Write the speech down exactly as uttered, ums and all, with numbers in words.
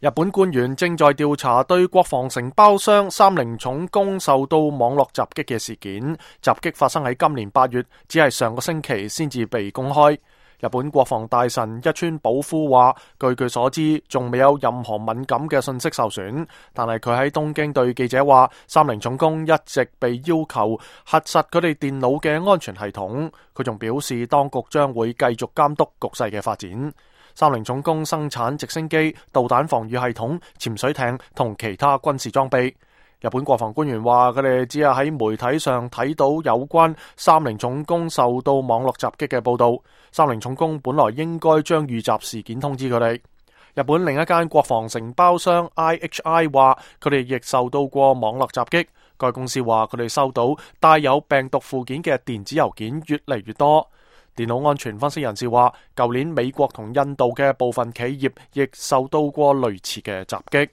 日本官員正在調查對國防承包商三菱重工受到網絡襲擊嘅事件。襲擊發生喺今年八月，只係上個星期先至被公開。日本國防大臣一川保夫話，據佢所知，仲未有任何敏感嘅信息受損。但係佢喺東京對記者話，三菱重工一直被要求核實佢哋電腦嘅安全系統。佢仲表示，當局將會繼續監督局勢嘅發展。三菱重工生產直升機、導彈防禦系統、潛水艇同其他軍事裝備。日本國防官員話，佢哋只係喺媒體上睇到有關三菱重工受到網絡襲擊嘅報道。三菱重工本來應該將遇襲事件通知佢哋。日本另一間國防承包商 I H I 話，佢哋亦受到過網絡襲擊。該公司話，佢哋收到帶有病毒附件嘅電子郵件越嚟越多。電腦安全分析人士話，舊年美國同印度嘅部分企業亦受到過類似嘅襲擊。